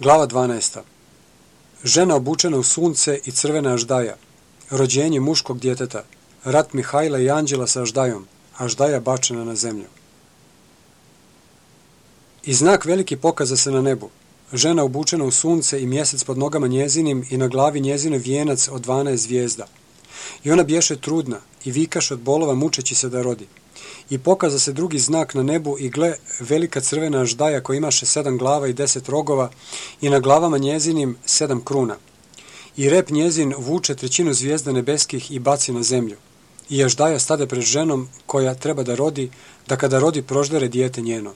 Glava 12. Žena obučena u sunce i crvena aždaja. Rođenje muškog djeteta. Rat Mihajla i Anđela sa aždajom. Aždaja bačena na zemlju. I znak veliki pokaza se na nebu. Žena obučena u sunce i mjesec pod nogama njezinim i na glavi njezine vijenac od 12 zvijezda. I ona bješe trudna i vikaše od bolova mučeći se da rodi. I pokaza se drugi znak na nebu i gle, velika crvena aždaja koja imaše 7 glava i 10 rogova i na glavama njezinim 7 kruna. I rep njezin vuče trećinu zvijezda nebeskih i baci na zemlju. I aždaja stade pred ženom koja treba da rodi, da kada rodi proždere dijete njeno.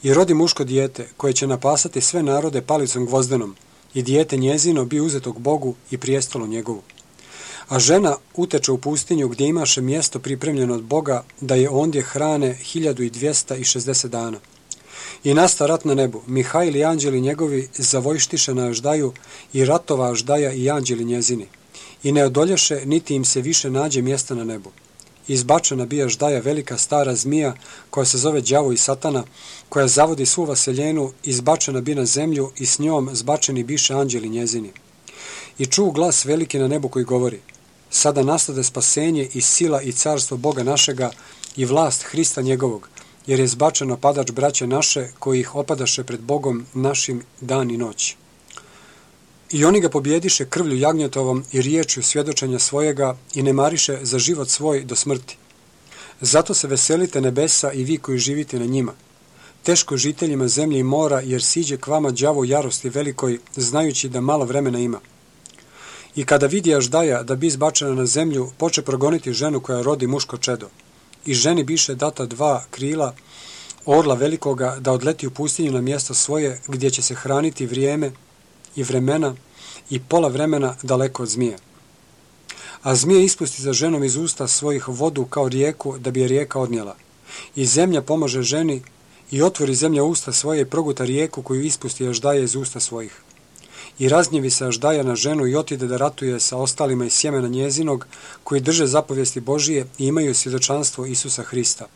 I rodi muško dijete koje će napasati sve narode palicom gvozdenom i dijete njezino bi uzetog Bogu i prijestolu njegovu. A žena uteče u pustinju gdje imaše mjesto pripremljeno od Boga da je ondje hrane 1260 dana. I nasta rat na nebu, Mihajl i anđeli njegovi zavojštiše na aždaju i ratova aždaja i anđeli njezini. I ne odolješe niti im se više nađe mjesta na nebu. Izbačena bi aždaja velika stara zmija koja se zove đavo i satana, koja zavodi svu vaseljenu, izbačena bi na zemlju i s njom zbačeni biše anđeli njezini. I čuo glas veliki na nebu koji govori: sada nastade spasenje i sila i carstvo Boga našega i vlast Hrista njegovog, jer je zbačen opadač braće naše koji ih opadaše pred Bogom našim dan i noć. I oni ga pobjediše krvlju jagnjetovom i riječju svjedočenja svojega i ne mariše za život svoj do smrti. Zato se veselite nebesa i vi koji živite na njima. Teško žiteljima zemlje i mora, jer siđe k vama đavo jarosti velikoj, znajući da malo vremena ima. I kada vidi aždaja da bi izbačena na zemlju, poče progoniti ženu koja rodi muško čedo. I ženi biše data 2 krila orla velikoga da odleti u pustinju na mjesto svoje, gdje će se hraniti vrijeme i vremena i pola vremena daleko od zmije. A zmije ispusti za ženom iz usta svojih vodu kao rijeku, da bi je rijeka odnijela. I zemlja pomože ženi i otvori zemlja usta svoje i proguta rijeku koju ispusti aždaja iz usta svojih. I raznjevi se aždaja na ženu i otide da ratuje sa ostalima iz sjemena njezinog, koji drže zapovijesti Božije i imaju svjedočanstvo Isusa Hrista.